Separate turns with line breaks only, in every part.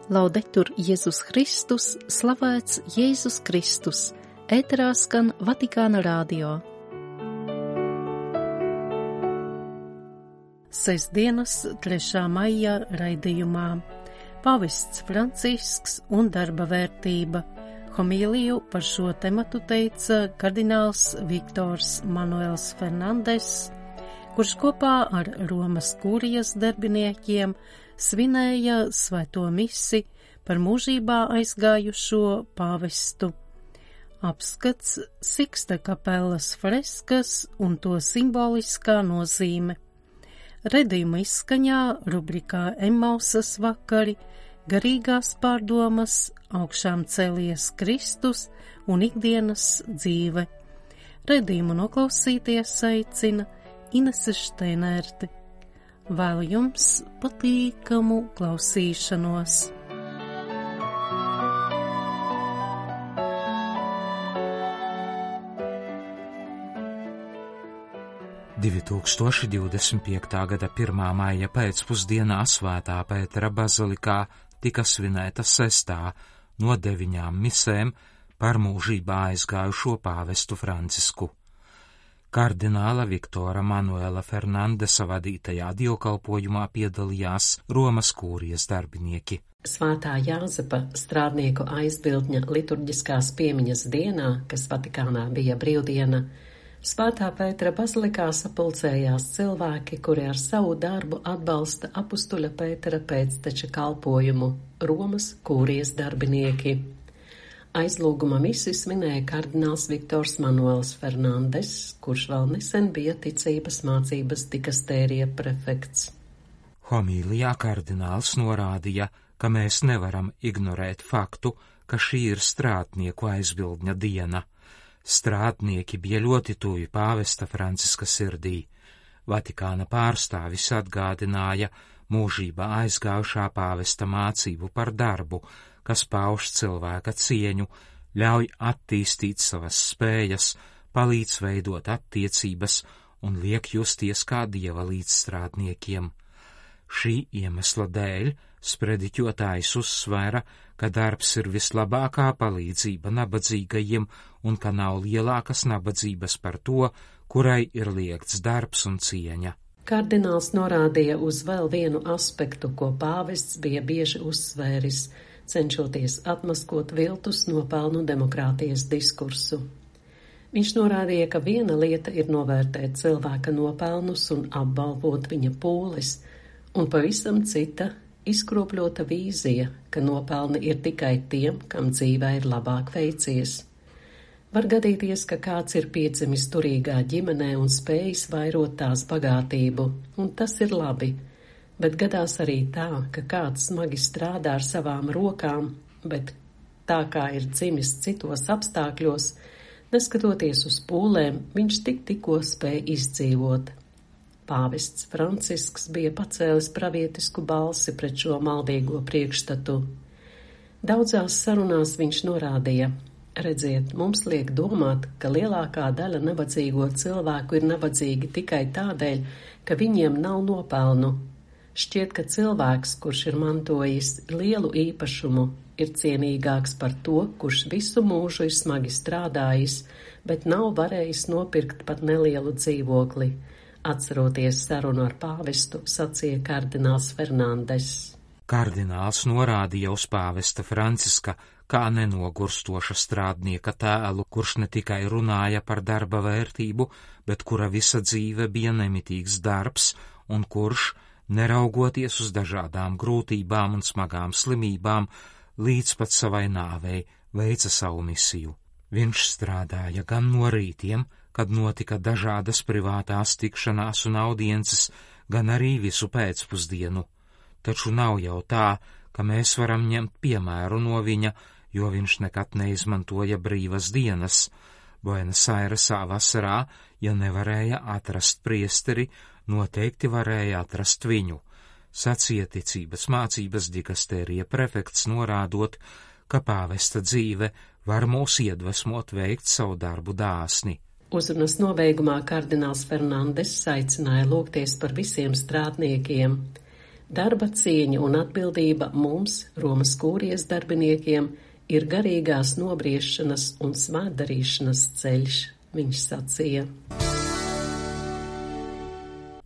Laudetur Jēzus Kristus, slavēts Jēzus Kristus, ēterā skan Vatikāna radio. Sestdienas 3. maija raidījumā Pāvests Francisks un darba vērtība. Homīliju par šo tematu teica kardināls Viktors Manuels Fernandes, kurš kopā ar Romas kurijas darbiniekiem svinēja svēto misi par mūžībā aizgājušo pāvestu. Apskats Siksta kapelas freskas un to simboliskā nozīme. Redījuma izskaņā rubrikā Emmausas vakari, garīgās pārdomas, augšām cēlies Kristus un ikdienas dzīve. Redījumu noklausīties aicina Inese Šteinerte. Vēlu jums patīkamu klausīšanos.
Gada 1. maija pēcpusdienā Svētā Pētera bazilikā tika svinēta 6. no 9 misēm par mūžībā aizgājušo pāvestu Francisku. Kardināla Viktora Manuela Fernandesa vadītajā dievkalpojumā piedalījās Romas kūrijas darbinieki.
Svētā Jāzepa strādnieku aizbildņa liturģiskās piemiņas dienā, kas Vatikānā bija brīvdiena, Svētā Pētera bazilikā sapulcējās cilvēki, kuri ar savu darbu atbalsta apustuļa Pētera pēcteča kalpojumu – Romas kūrijas darbinieki. Aizlūguma misi svinēja kardināls Viktors Manuels Fernandes, kurš vēl nesen bija ticības mācības dikastērija prefekts.
Homīlijā kardināls norādīja, ka mēs nevaram ignorēt faktu, ka šī ir strādnieku aizbildņa diena. Strādnieki bija ļoti tuvi pāvesta Franciska sirdī. Vatikāna pārstāvis atgādināja mūžībā aizgājušā pāvesta mācību par darbu, kas pauž cilvēka cieņu, ļauj attīstīt savas spējas, palīdz veidot attiecības un liek justies kā dieva līdzstrādniekiem. Šī iemesla dēļ sprediķotājs uzsvēra, ka darbs ir vislabākā palīdzība nabadzīgajiem un ka nav lielākas nabadzības par to, kurai ir liegts darbs un cieņa.
Kardināls norādīja uz vēl vienu aspektu, ko pāvests bija bieži uzsvēris, cenšoties atmaskot viltus nopelnu demokrātijas diskursu. Viņš norādīja, ka viena lieta ir novērtēt cilvēka nopelnus un apbalvot viņa pūles, un pavisam cita izkropļota vīzija, ka nopelni ir tikai tiem, kam dzīvē ir labāk veicies. Var gadīties, ka kāds ir piedzimis turīgā ģimenē un spējis vairot tās bagātību, un tas ir labi. Bet gadās arī tā, ka kāds smagi strādā ar savām rokām, bet tā kā ir dzimis citos apstākļos, neskatoties uz pūlēm, viņš tikko spēja izdzīvot. Pāvests Francisks bija pacēlis pravietisku balsi pret šo maldīgo priekšstatu. Daudzās sarunās viņš norādīja: redziet, mums liek domāt, ka lielākā daļa nabadzīgo cilvēku ir nabadzīgi tikai tādēļ, ka viņiem nav nopelnu. Šķiet, ka cilvēks, kurš ir mantojis lielu īpašumu, ir cienīgāks par to, kurš visu mūžu ir smagi strādājis, bet nav varējis nopirkt pat nelielu dzīvokli. Atceroties sarunu ar pāvestu, sacīja kardināls Fernandes.
Kardināls norādīja uz pāvesta Franciska kā nenogurstoša strādnieka tēlu, kurš ne tikai runāja par darba vērtību, bet kura visa dzīve bija nemitīgs darbs un kurš, neraugoties uz dažādām grūtībām un smagām slimībām, līdz pat savai nāvei veica savu misiju. Viņš strādāja gan no rītiem, kad notika dažādas privātās tikšanās un audiences, gan arī visu pēcpusdienu. Taču nav jau tā, ka mēs varam ņemt piemēru no viņa, jo viņš nekad neizmantoja brīvas dienas. Buenos Airesā vasarā, ja nevarēja atrast priesteri, noteikti varēja atrast viņu, sacīja ticības mācības dikastērija prefekts, norādot, ka pāvesta dzīve var mūs iedvesmot veikt savu darbu dāsni.
Uzrunas nobeigumā kardināls Fernandes aicināja lūgties par visiem strādniekiem. Darba cieņa un atbildība mums, Romas kūrijas darbiniekiem, ir garīgās nobriešanas un svētdarīšanas ceļš, viņš sacīja.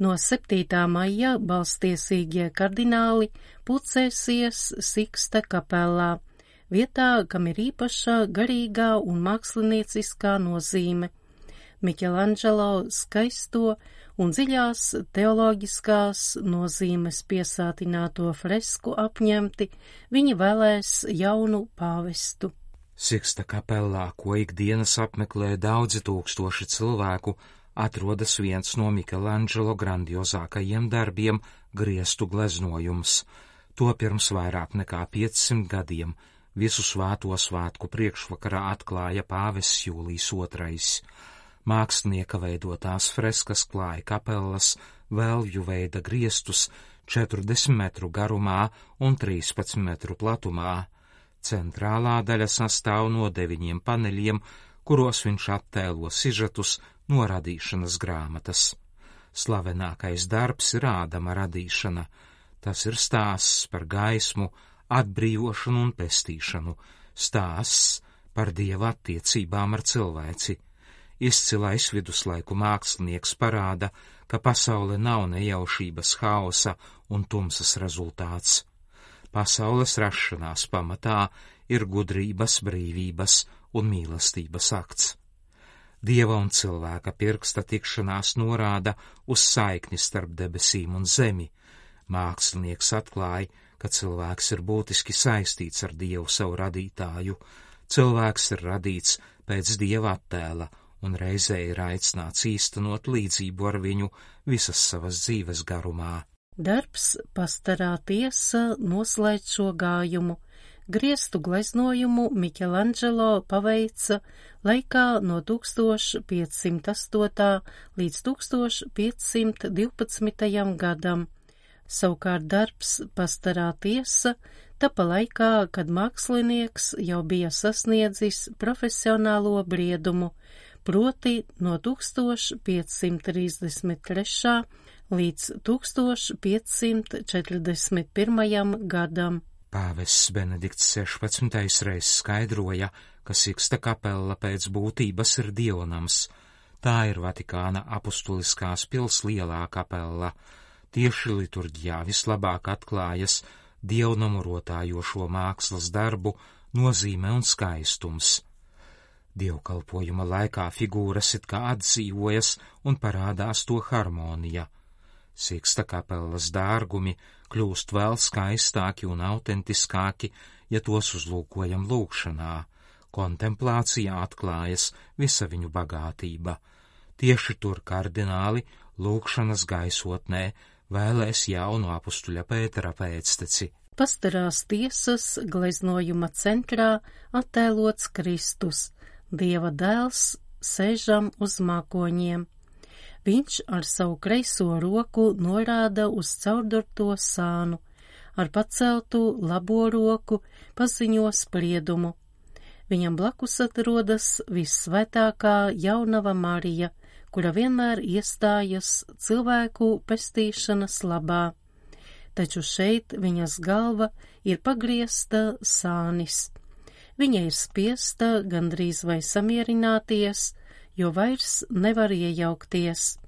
No 7. maija balstiesīgie kardināli pulcēsies Siksta kapelā, vietā, kam ir īpaša garīgā un mākslinieciskā nozīme. Miķelanģelo skaisto un dziļās teoloģiskās nozīmes piesātināto fresku apņemti, viņi vēlēs jaunu pāvestu.
Siksta kapelā, ko ikdienas apmeklē daudzi tūkstoši cilvēku, atrodas viens no Miķelanģelo grandiozākajiem darbiem – griestu gleznojums. To pirms vairāk nekā 500 gadiem visu svēto svētku priekšvakarā atklāja pāvests Jūlijs II. Mākslinieka veidotās freskas klāja kapelas vēlju veida griestus 40 metru garumā un 13 metru platumā. Centrālā daļa sastāv no 9 paneļiem, kuros viņš attēlo sižetus no radīšanas grāmatas. Slavenākais darbs ir Ādama radīšana. Tas ir stāsts par gaismu, atbrīvošanu un pestīšanu, stāsts par Dieva attiecībām ar cilvēci. Izcilais viduslaiku mākslinieks parāda, ka pasaule nav nejaušības, haosa un tumsas rezultāts. Pasaules rašanās pamatā ir gudrības, brīvības un mīlestības akts. Dieva un cilvēka pirksta tikšanās norāda uz saikni starp debesīm un zemi. Mākslinieks atklāja, ka cilvēks ir būtiski saistīts ar Dievu savu radītāju. Cilvēks ir radīts pēc Dieva attēla un reizē ir aicināts īstenot līdzību ar viņu visas savas dzīves garumā.
Darbs Pastarā tiesa noslēdz šo gājumu. Griestu gleznojumu Miķelanģelo paveica laikā no 1508. līdz 1512. gadam. Savukārt darbs Pastarā tiesa tapa laikā, kad mākslinieks jau bija sasniedzis profesionālo briedumu, proti no 1533. līdz 1541. gadam.
Pāvests Benedikts 16. reiz skaidroja, ka Siksta kapela pēc būtības ir dievnams. Tā ir Vatikāna apustuliskās pils lielā kapela. Tieši liturģijā vislabāk atklājas dievnamu rotājošo mākslas darbu nozīme un skaistums. Dievkalpojuma laikā figūras it kā atdzīvojas un parādās to harmonija. Siksta kapelas dārgumi kļūst vēl skaistāki un autentiskāki, ja tos uzlūkojam lūkšanā. Kontemplācijā atklājas visa viņu bagātība. Tieši tur kardināli lūkšanas gaisotnē vēlēs jaunu apustuļa Pētera pēcteci.
Pastarās tiesas gleznojuma centrā attēlots Kristus, Dieva dēls, sēžam uz mākoņiem. Viņš ar savu kreiso roku norāda uz caurdurto sānu, ar paceltu labo roku paziņo spriedumu. Viņam blakus atrodas vissvētākā jaunava Marija, kura vienmēr iestājas cilvēku pestīšanas labā. Taču šeit viņas galva ir pagriezta sānis. Viņa ir spiesta gandrīz vai samierināties, jo vairs nevar iejaukties.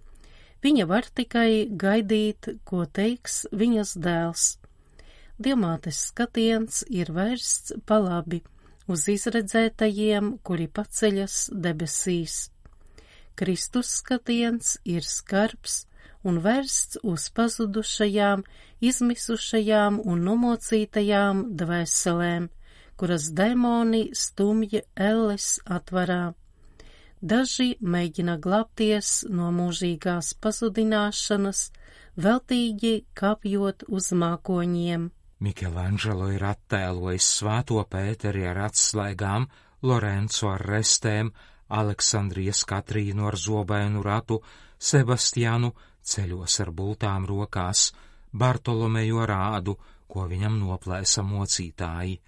Viņa var tikai gaidīt, ko teiks viņas dēls. Dievmātes skatiens ir vērsts pa labi uz izredzētajiem, kuri paceļas debesīs. Kristus skatiens ir skarbs un vērsts uz pazudušajām, izmisušajām un nomocītajām dvēselēm, kuras demoni stumj elles atvarā. Daži mēģina glābties no mūžīgās pazudināšanas, veltīgi kāpjot uz mākoņiem.
Miķelanģelo ir attēlojis Svēto Pēteri ar atslēgām, Lorenco ar restēm, Aleksandrijas Katrīnu ar zobainu ratu, Sebastianu ceļos ar bultām rokās, Bartolomeju ar ādu, ko viņam noplēsa mocītāji.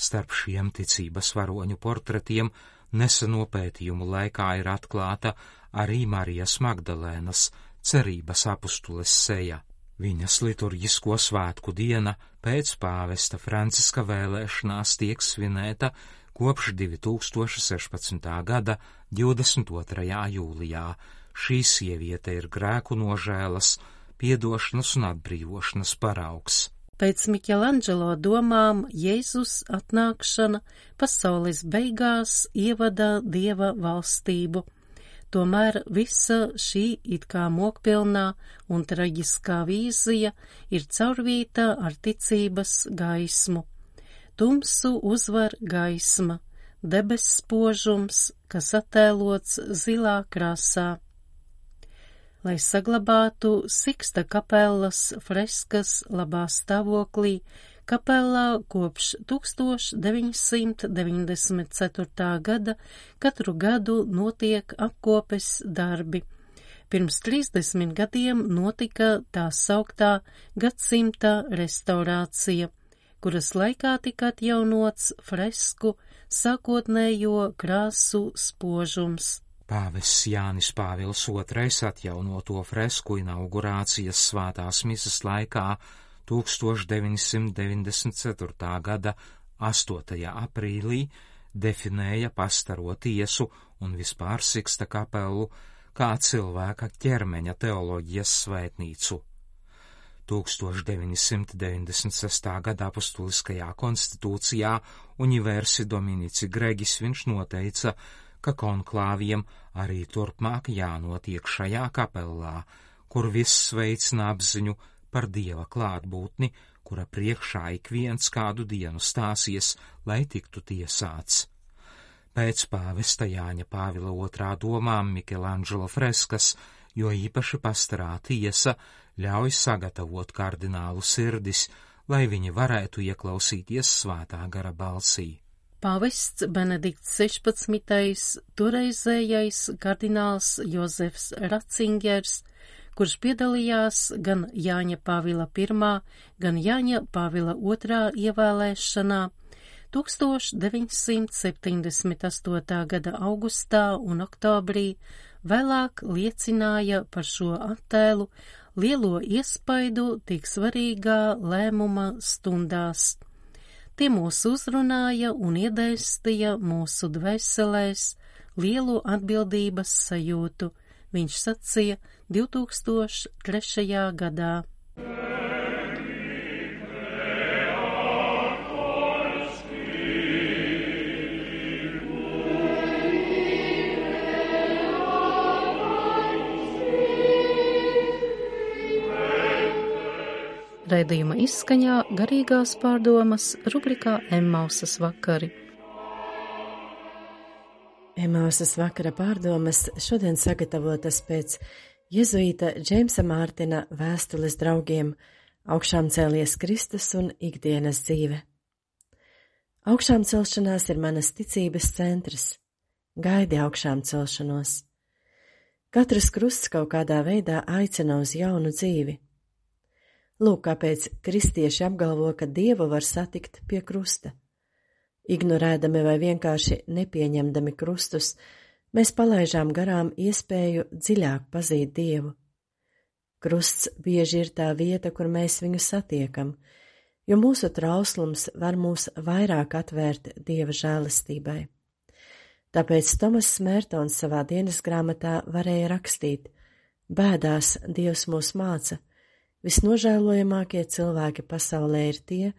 Starp šiem ticības varoņu portretiem neseno pētījumu laikā ir atklāta arī Marijas Magdalēnas, cerības apustules seja. Viņas liturģisko svētku diena pēc pāvesta Franciska vēlēšanās tiek svinēta kopš 2016. gada 22. jūlijā. Šī sieviete ir grēku nožēlas, piedošanas un atbrīvošanas paraugs.
Pēc Miķelanģelo domām Jēzus atnākšana pasaules beigās ievada Dieva valstību. Tomēr visa šī it kā mokpilnā un traģiskā vīzija ir caurvīta ar ticības gaismu. Tumsu uzvar gaisma, debess spožums, kas attēlots zilā krāsā. Lai saglabātu Siksta kapelas freskas labā stāvoklī, kapelā kopš 1994. gada katru gadu notiek apkopes darbi. Pirms 30 gadiem notika tā sauktā gadsimta restaurācija, kuras laikā tika atjaunots fresku sākotnējo krāsu spožums.
Pāvests Jānis Pāvils II atjaunoto fresku inaugurācijas svētās misas laikā 1994. gada 8. aprīlī definēja pastaro tiesu un vispār Siksta kapelu kā cilvēka ķermeņa teoloģijas svētnīcu. 1996. gada apostuliskajā konstitūcijā Universi Dominici Gregis viņš noteica, ka konklāviem arī turpmāk jānotiek šajā kapelā, kur viss veicina apziņu par Dieva klātbūtni, kura priekšā ik viens kādu dienu stāsies, lai tiktu tiesāts. Pēc pāvesta Jāņa Pāvila II domām Miķelanģelo freskas, jo īpaši pastarā tiesa, ļauj sagatavot kardinālu sirdis, lai viņi varētu ieklausīties svētā gara balsī.
Pāvests Benedikts 16. toreizējais kardināls Jozefs Ratzingers, kurš piedalījās gan Jāņa Pāvila I, gan Jāņa Pāvila II ievēlēšanā 1978. gada augustā un oktobrī, vēlāk liecināja par šo attēlu lielo iespaidu tik svarīgā lēmuma stundās. Tie mūs uzrunāja un iedēstīja mūsu dvēselēs lielu atbildības sajūtu, viņš sacīja 2003. gadā. Raidījuma izskaņā garīgās pārdomas rubrikā Emmausas vakari.
Emmausas vakara pārdomas šodien sagatavotas pēc jezuīta Džeimsa Mārtina vēstules draugiem Augšām cēlies Kristus un ikdienas dzīve. Augšām celšanās ir manas ticības centrs. Gaidi augšām celšanos. Katrs krusts kaut kādā veidā aicina uz jaunu dzīvi. Lūk, kāpēc kristieši apgalvo, ka Dievu var satikt pie krusta. Ignorēdami vai vienkārši nepieņemdami krustus, mēs palaižām garām iespēju dziļāk pazīt Dievu. Krusts bieži ir tā vieta, kur mēs viņu satiekam, jo mūsu trauslums var mūs vairāk atvērt Dieva žēlastībai. Tāpēc Tomas Smērtons savā dienas grāmatā varēja rakstīt: bēdās Dievs mūs māca, visnožēlojamākie cilvēki pasaulē ir tie,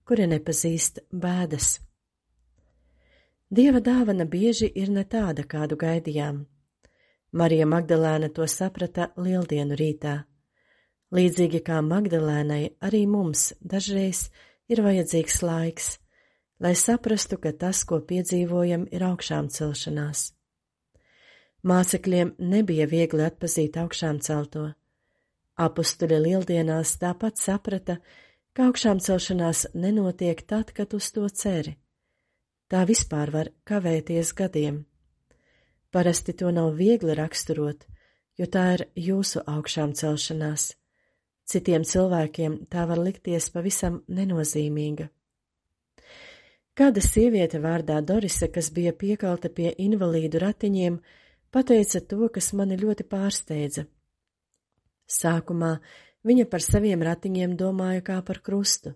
kuri nepazīst bēdas. Dieva dāvana bieži ir ne tāda, kādu gaidījām. Marija Magdalēna to saprata Lieldienu rītā. Līdzīgi kā Magdalēnai, arī mums dažreiz ir vajadzīgs laiks, lai saprastu, ka tas, ko piedzīvojam, ir augšām celšanās. Mācekļiem nebija viegli atpazīt augšām celto. Apustuļi Lieldienās tāpat saprata, ka augšām celšanās nenotiek tad, kad uz to ceri. Tā vispār var kavēties gadiem. Parasti to nav viegli raksturot, jo tā ir jūsu augšām celšanās. Citiem cilvēkiem tā var likties pavisam nenozīmīga. Kāda sieviete vārdā Dorise, kas bija piekalta pie invalīdu ratiņiem, pateica to, kas mani ļoti pārsteidza. Sākumā Viņa par saviem ratiņiem domāja kā par krustu,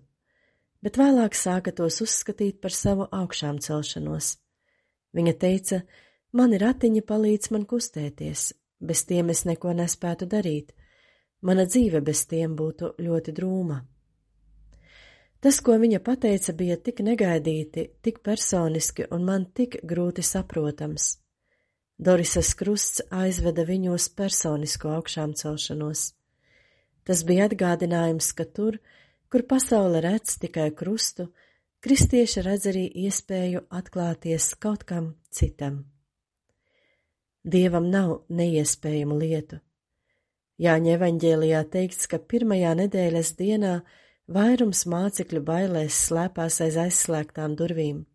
bet vēlāk sāka tos uzskatīt par savu augšām celšanos. Viņa teica, mani ratiņi palīdz man kustēties, bez tiem es neko nespētu darīt, mana dzīve bez tiem būtu ļoti drūma. Tas, ko viņa pateica, bija tik negaidīti, tik personiski un man tik grūti saprotams. Dorisas krusts aizveda viņu uz personisko augšām celšanos. Tas bija atgādinājums, ka tur, kur pasaule redz tikai krustu, kristieši redz arī iespēju atklāties kaut kam citam. Dievam nav neiespējamu lietu. Jāņa evaņģēlijā teikts, ka pirmajā nedēļas dienā vairums mācekļu bailēs slēpās aiz aizslēgtām durvīm.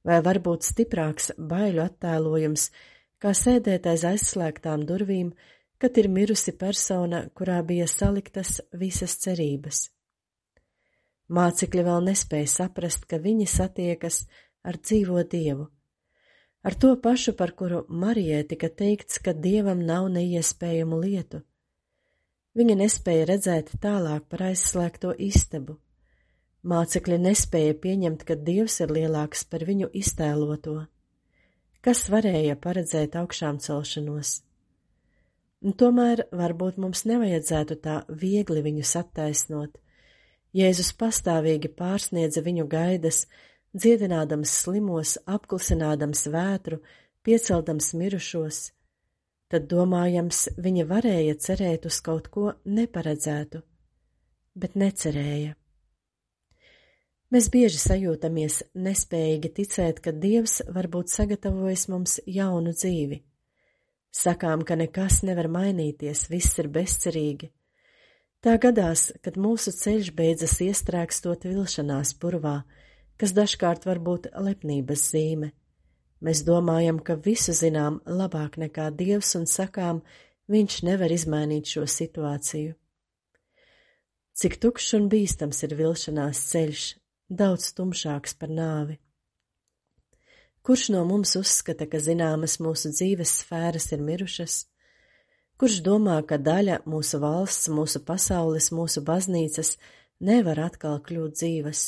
Vai varbūt stiprāks baiļu attēlojums, kā sēdēt aiz aizslēgtām durvīm, kad ir mirusi persona, kurā bija saliktas visas cerības. Mācekļi vēl nespēja saprast, ka viņi satiekas ar dzīvo Dievu, ar to pašu, par kuru Marijai tika teikts, ka Dievam nav neiespējamu lietu. Viņa nespēja redzēt tālāk par aizslēgto istabu. Mācekļi nespēja pieņemt, ka Dievs ir lielāks par viņu iztēloto. Kas varēja paredzēt augšām celšanos? Un tomēr varbūt mums nevajadzētu tā viegli viņus attaisnot. Jēzus pastāvīgi pārsniedza viņu gaidas, dziedinādams slimos, apklusinādams vētru, pieceldams mirušos. Tad, domājams, viņa varēja cerēt uz kaut ko neparedzētu, bet necerēja. Mēs bieži sajūtamies nespējīgi ticēt, ka Dievs varbūt sagatavojis mums jaunu dzīvi. Sakām, ka nekas nevar mainīties, viss ir bezcerīgi. Tā gadās, kad mūsu ceļš beidzas iestrēgstot vilšanās purvā, kas dažkārt var būt lepnības zīme. Mēs domājam, ka visu zinām labāk nekā Dievs un sakām, viņš nevar izmainīt šo situāciju. Cik tukšs un bīstams ir vilšanās ceļš, daudz tumšāks par nāvi. Kurš no mums uzskata, ka zināmas mūsu dzīves sfēras ir mirušas? Kurš domā, ka daļa mūsu valsts, mūsu pasaules, mūsu baznīcas nevar atkal kļūt dzīves?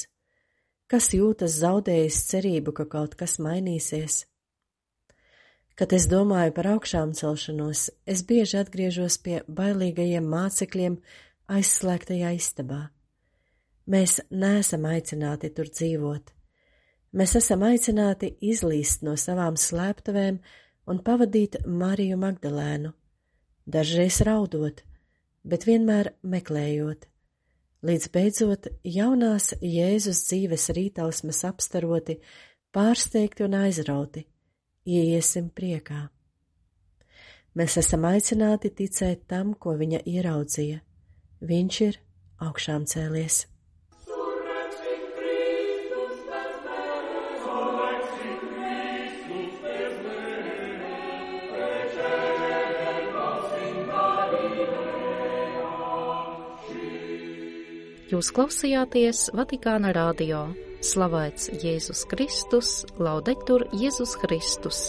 Kas jūtas zaudējis cerību, ka kaut kas mainīsies? Kad es domāju par augšām celšanos, es bieži atgriežos pie bailīgajiem mācekļiem aizslēgtajā istabā. Mēs neesam aicināti tur dzīvot. Mēs esam aicināti izlīst no savām slēptuvēm un pavadīt Mariju Magdalēnu, dažreiz raudot, bet vienmēr meklējot, līdz beidzot jaunās Jēzus dzīves rītausmas apstaroti, pārsteigti un aizrauti, ieiesim priekā. Mēs esam aicināti ticēt tam, ko viņa ieraudzīja. Viņš ir augšām cēlies.
Jūs klausījāties Vatikāna radio. Slavēts Jēzus Kristus, laudetur Jēzus Kristus.